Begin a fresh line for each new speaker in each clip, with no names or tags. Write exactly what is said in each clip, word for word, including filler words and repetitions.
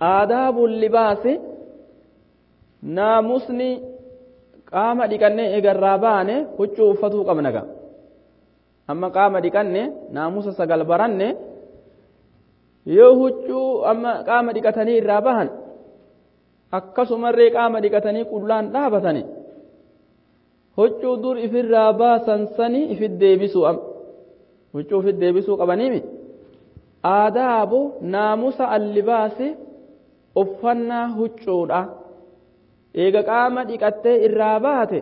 آداب اللباس ناموسني qaama dhiqannee eegarraa baane huccuu uffatuu qabna ga amma qaama dhiqanne naamusa sagal baranne yoo huccuu amma qaama dhiqatanii irraa bahan akkasumarree qaama dhiqatanii qullaan dhaabatani huccuu dur ifirraa baasan sani ifit deebisuu am huccuu ifit deebisuu qabaniimi aadaabu naamusa allibaasi uffannaa huccuudha eega qaama dhiqattee irraa baate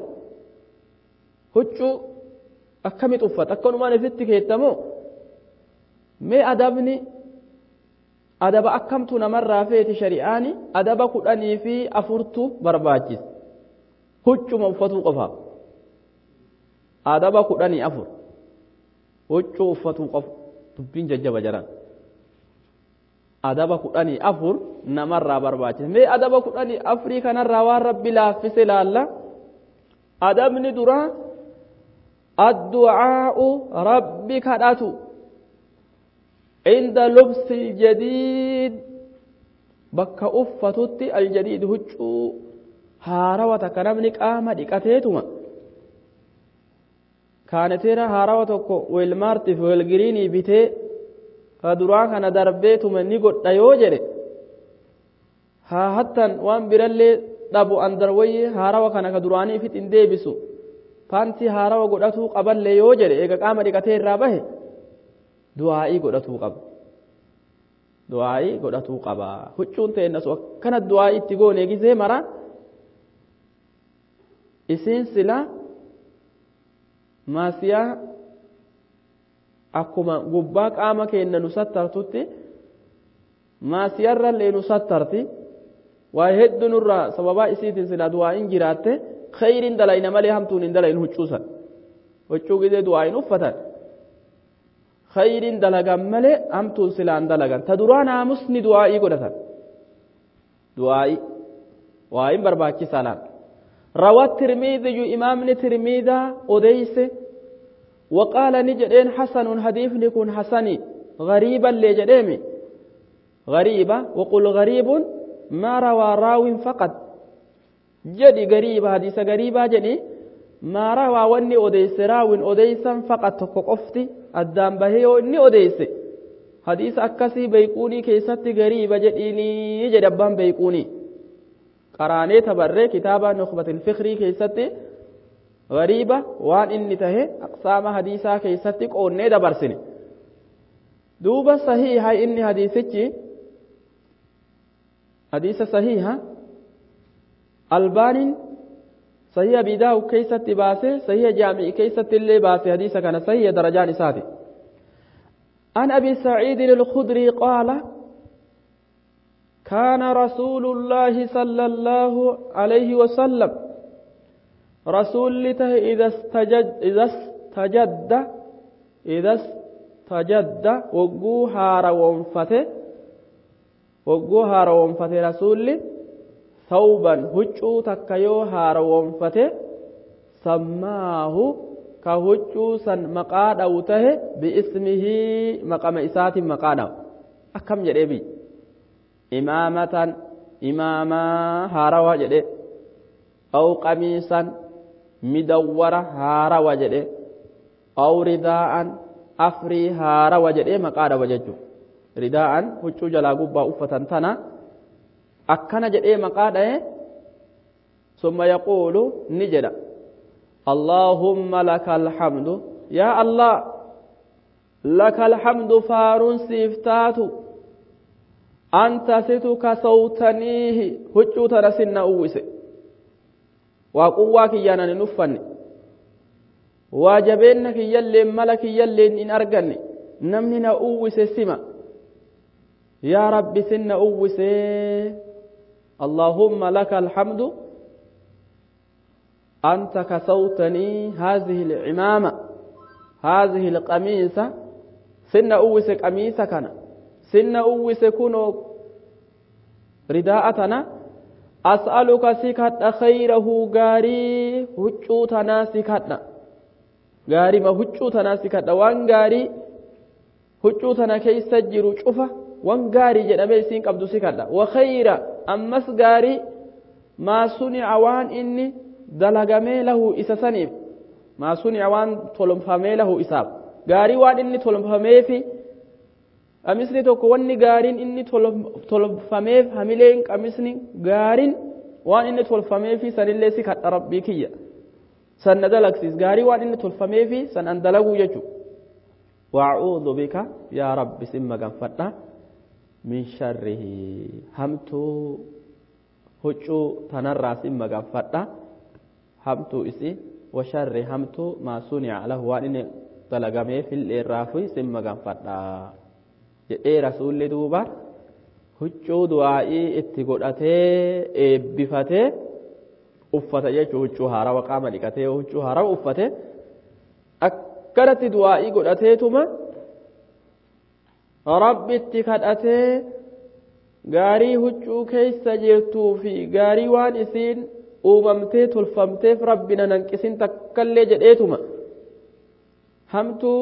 huccuu akkamit uffata akkanumaan ifitti keettamoo mee adabni adaba akkamtu namarraa feeti shari'aani adaba kudhanii fi afurtu barbaachisa huccuma uffatuu qofaaf adaba kudhanii afur huccuu uffatuu qofa dubbiin jajjaba jaran adaba kudhanii afur namarraa barbaachisa mee adaba kudhanii afurii kanarraa waan rabbi laaffise laalla adabni dura addu'aa'u rabbi kadhatu inda lubsi aljadiid bakka uffatutti aljadiid huccuu haarawa takka namni qaama dhiqateetuma kaaneteera haarawa tokko weelmaartiif weelgiriinii bitee ka duraa kana darbeetuma ni godha yoo jedhe haa hattan waan birallee dhabu andarwayye haarawa kana ka duraanii ifit hin deebisu paantii haarawa godhatuu qaballee yoo jedhe eega qaama dhiqatee irraa bahe du'aa'ii godhatuu qaba du'aa'ii godhatuu qaba huccuun ta'ennasu akkana du'aa'ii itti goone gisee mara isiin sila maasiyaa akkuma gubbaa qaama keenya nu sattartutti maasiyarrallee nu sattarti waa hedduu nurraa sababaa isiitiin silaa du'aa'iin jiraatte khayriin dalayna malee hamtuun hin dalayin huccuusan huccuu gisee du'aa'iin uffatan khayriin dalagan malee hamtuun silaan dalagan ta duraa naamusni du'aa'ii godhatan du'aa'ii waa'iin barbaachisaa laal روى الترمذي إمامنا ترمذا أديس وقال نجدين حسن حديث نكون حسني غريبا لجديمي غريبة وقل غريب ما روى راو فقط جدي غريبة حديث غريبة جدي ما روى وني أديس راو أديسا فقط تقفتي الدام بهيو إني أديس حديث أكسي بيكوني كيست غريبة جديني جدبان بيكوني قراني تبري كتابة نخبة الفخري كيستي غريبة وان إني تهي أقسام حديثا كيستي قوني دبرسني دوبة صحيحة إني حديثتي حديث صحيحة الباني صحيح بداو كيستي باسي صحيح جامع كيستي اللي باسي حديثة كان صحيح درجان ساتي عن أبي سعيد الخدري قال كان رسول الله صلى الله عليه وسلم رسول ته إذا استجد إذا استجد إذا استجد وجوها روانفته وجوها روانفته رسول ثوبا هجو تكيو هاروانفته سماه كهجو سن مقاد أوته باسمه مقام إسات مقاد أكم جريبي إمامة إماما هاروا جدي أو قميصا مدورة هاروا جدي أو رداء أفري هاروا جدي مقاد وججو رداء هجو جلا قبا أفة تنا أكنا جدي مقاد ثم يقول نجد اللهم لك الحمد يا الله لك الحمد فارون سيفتاتو أنت ستك صوتنيه هجو ترسن أوسي وقواك يانا نفني واجبينك يلي ملك يلي إن أرقني نمني أوسي سما يا رب سن أوسي اللهم لك الحمد أنت كسوتني هذه العمامة هذه القميصة سن أوسي قميصة كان سن أوسي كنو رداءتنا أسألك سكت خيره غاري هجوتنا سكتنا غاري ما هجوتنا سكتنا وان غاري هجوتنا كيس جرو شوفة Wan gaarii jedhamee isiin qabdu si kadha. Wa khayra ammas gaarii maa sunica waan inni dalagamee lahu isa saniif maa sunica waan tolfamee lahu isaaf gaarii waan inni tolfameefi qamisni tokko wanni gaariin inni tolfameef hamileen qamisni gaariin waan inni tolfameefi sanillee si kadha rabbii kiyya san na dalagsiis gaarii waan inni tolfameefi san an dalaguu jechu. Waa'uudhu bika yaa rabbi sin maganfadha min sharrihi hamtuu huccuu tanarraa sin maganfadha hamtuu isi wa sharri hamtuu maa sunica lahu waan inni dalagameef illeerraafi sin maganfadha jedhee rasuulli duuba huccuu du'aa'ii itti godhatee eebbifatee uffata jechuu huccuu haarawa qaama dhiqatee huccuu haarawa uffate akkanatti du'aa'ii godhateetuma rabbitti kadhatee gaarii huccuu keessa jirtuu fi gaarii waan isiin uumamtee tolfamteef rabbi na hanqisin takkallee jedheetuma hamtuu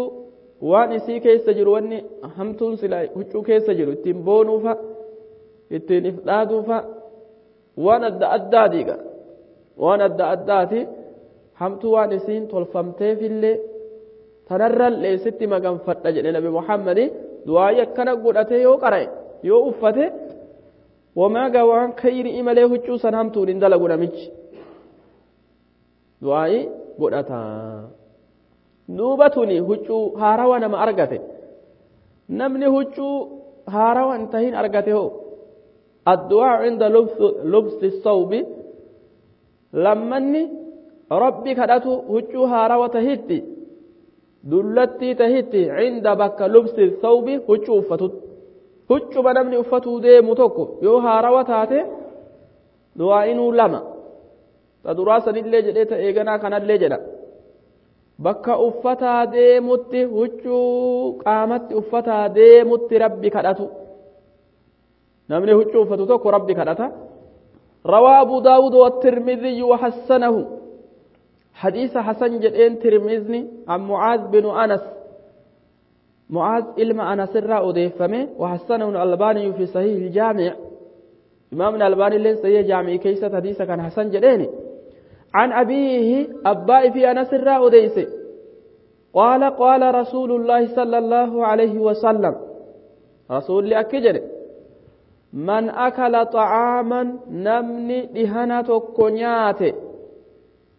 waan isii keessa jiru wanni hamtuun sila huccuu keessa jiru ittiin boonuufa ittiin if dhaaduufa waan adda addaatiiga waan adda addaati hamtuu waan isiin tolfamteefillee tanarrallee sitti maganfadha jedhe nabi Muhammadi du'aayii akkana godhatee yoo qara'e yoo uffate wamaa gaa waan khayrii malee huccuu san hamtuun hin dalagu namichi du'aayii godhata. Duuba tuni huccuu haarawa nama argate namni huccuu haarawa hin tahin argate hoo addu'aa cinda lubsi sawbi lammanni rabbi kadhatu huccuu haarawa tahitti dullattii tahitti cinda bakka lubsi sawbi huccuu uffatut huccuma namni uffatuu deemu tokko yoo haarawa taate du'aa'inuu lama ta duraa sanillee jedhee ta eeganaa kanallee jedha bakka uffataa deemutti huccuu qaamatti uffataa deemutti rabbi kadhatu namni huccuu uffatu tokko rabbi kadhata. Rawaa Abu Daawud والترمذي وحسنه حديث حسن جدين ترمذي عن معاذ بن أنس معاذ إلما أنس الرا أضيفمه وحسنه الألباني في صحيح الجامع إمام الألباني لين صحيح جامع كيسة حديث كان حسن جدين عن أبيه أبائي في أنس الرا أديس قال قال رسول الله صلى الله عليه وسلم رسول لأكجر من أكل طعاما نمني دهنة كنيات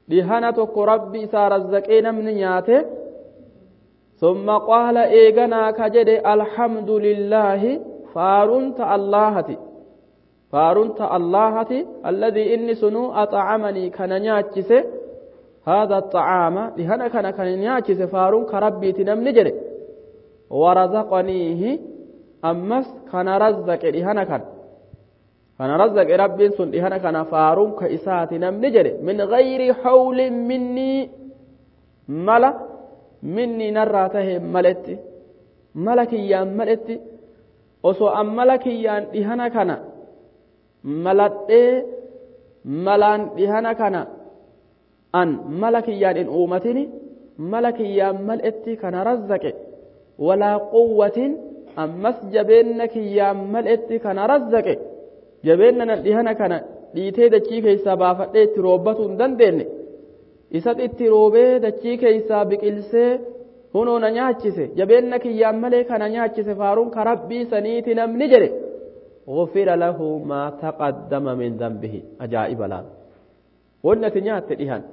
دهنة ربي سار الزكي نمني نيات ثم قال إيغنا كجد الحمد لله فارنت اللهتي فارنت اللهتي الذي إني سنو أطعمني كان نياتشس هذا الطعام لهنا كان كان نياتشس فارون كربي تنم نجري ورزقنيه أمس كان رزق لهنا كان كان رزق ربي سن لهنا كان فارون كإسات نم نجري من غير حول مني ملا مني نراته ملتي ملكي يا ملتي وسو أم ملكي يا لهنا كان maladhee malaan dhihana kana an mala kiyyaan hin uumatini mala kiyyaan mal'etti kana razzaqe walaa quwwatin ammas jabeenna kiyyaan mal'etti kana razzaqe jabeenna nan dhihana kana dhiitee dachii keessaa baafadhee itti roobbatuu hin dandeenye isat itti roobee dachii keessaa biqilsee hunoo na nyaachise jabeenna kiyyaan malee kana nyaachise faaruun ka rabbii saniiti namni jedhe غفر له ما تقدم من ذنبه. أجائب لا ونأتي نيات دهان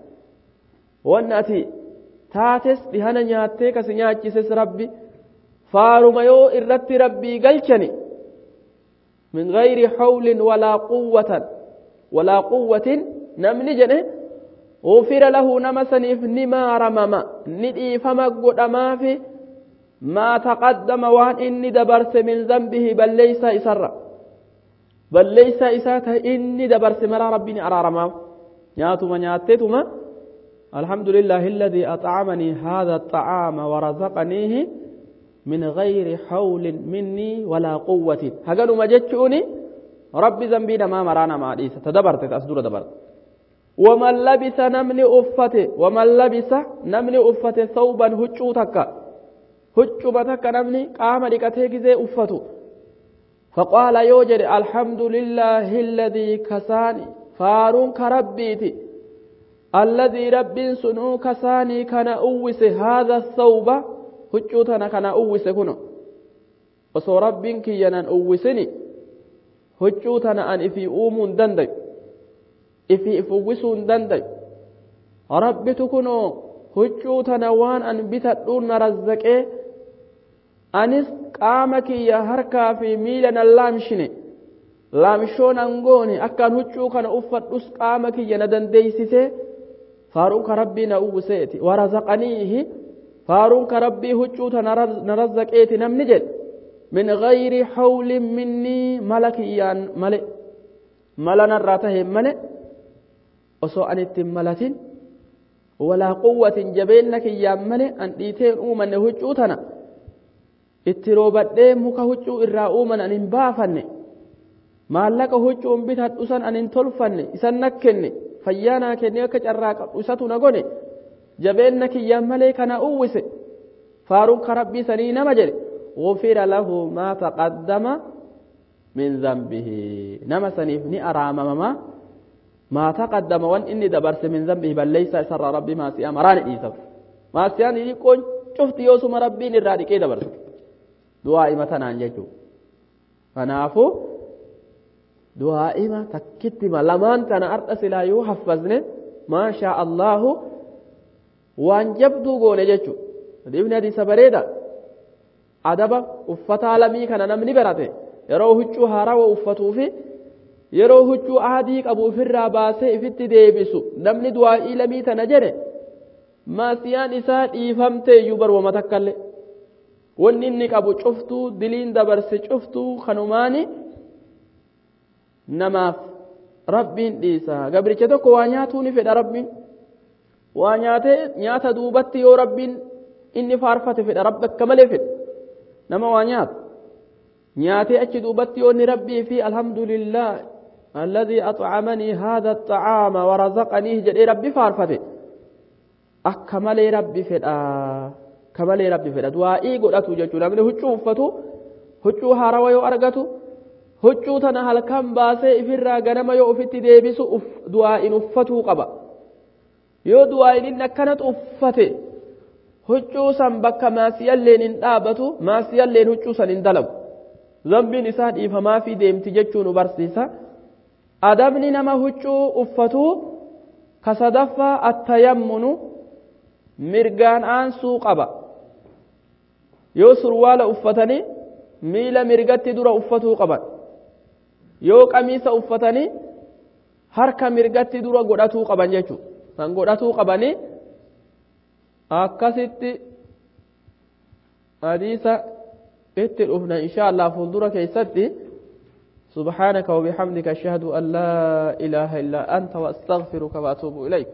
ونأتي تاتس دهان نياتي كس نياتيس ربي فارما يو إرت ربي قلشني من غير حول ولا قوة ولا قوة نمني جنه غفر له نمسني نما رمما ندي فما قد ما في ما تقدم وان إني دبرس من ذنبه بل ليس إسر بل ليس إساته إني دبرس مرا ربي أرارما نياتما نياتتما الحمد لله الذي أطعمني هذا الطعام ورزقنيه من غير حول مني ولا قوة. هقالوا ما جتشوني ربي ذنبي ما مرانا ما عديسة تدبرت أصدر دبرت. ومن لبس نمني أفته ومن لبس نمني أفته ثوبا هجو تكا هجو بتكا نمني قام لكته جزي أفته Faqaala yoo jedhe alhamdulillaahi alladii kasaani faaruun ka rabbiiti alladii rabbiin sunuu kasaanii kana uwwise haadha thawba huccuu tana kana uwwise kuno osoo rabbiin kiyya nan uwwisini huccuu tana an ifii uumuu hin dandayu ifii if uwwisuu hin dandayu rabbitu kunoo huccuu tana waan an bitadhuun na razzaqee anis qaama kiyya harkaa fi miila nan laamshine laamshoo nan goone akkaan huccuu kana uffadhus qaama kiyya na dandeeysise faaruun ka rabbii na uwwiseeti warazaqaniihi faaruun ka rabbii huccuu tana na razzaqeeti namni jedhe min gayri hawlin minnii mala kiyyaan male mala narraa taheen male osoo an ittiin malatin walaa quwwatin jabeenna kiyyaan male an dhiiteen uumanne huccuu tana itti roobadhee muka huccuu irraa uuman an hin baafanne maallaqa huccuun bitadhu san an hin tolfanne isan nakkenne fayyaa naa kenne akka carraa qabdu isatu na gone jabeenna kiyyaan malee kana uwwise faaruun ka rabbii sanii nama jedhe غفر له ما تقدم من ذنبه نما سنيف ني أرامما ما تقدم وان إني دبرس من ذنبه بل ليس سر ربي ما سيام راني إيسف ما سيان يكون شفت يوسف ربي نرادي كي دبرس دعاء مثلا يجو فنافو دعاء ما تكتما لمان تنا أرتس لا يحفظني ما شاء الله وان جبدو قول يجو ابن هذه سبريدة adaba uffata lamii kana namni barate yeroo huccuu haarawa uffatuu fi yeroo huccuu adii qabu ofirraa baasee ifitti deebisu namni du'aa'ii lamii tana jedhe maasiyaan isaa dhiifamtee iyyuu barwama takkallee wanni inni qabu cuftuu diliin dabarse cuftuu kanumaani namaaf rabbiin dhiisa gabricha tokko waa nyaatuu ni fedha rabbiin waa nyaatee nyaata duubatti yoo rabbiin inni faarfate fedha rabbi akka malee fedha nama waa nyaatu nyaatee achi duubatti yoo inni rabbii fi alhamdulillah alladhii at'amanii haadha axacaama warazaqanii jedhee rabbi faarfate akka malee rabbi fedha akka malee rabbi fedha du'aa'ii godhatu jechuudha namni huccuu uffatu huccuu haarawa yoo argatu huccuu tana halkan baasee ifirraa ganama yoo ofitti deebisu du'aa'iin uffatuu qaba yoo du'aa'iin inni akkanatu uffate huccuu san bakka maasiyalleen hin dhaabatu maasiyalleen huccuu san hin dalagu zambiin isaa dhiifamaa fi deemti jechuu nu barsiisa adabni nama huccuu uffatu ka sadaffaa attayammunu mirgaan aansuu qaba yoo surwaala uffatanii miila mirgatti dura uffatuu qaban yoo qamiisa uffatanii harka mirgatti dura godhatuu qaban jechuu san godhatuu qabanii akkasitti hadiisa itti dhufna insha allah fuuldura keessatti سبحانك وبحمدك أشهد أن لا إله إلا أنت وأستغفرك وأتوب إليك.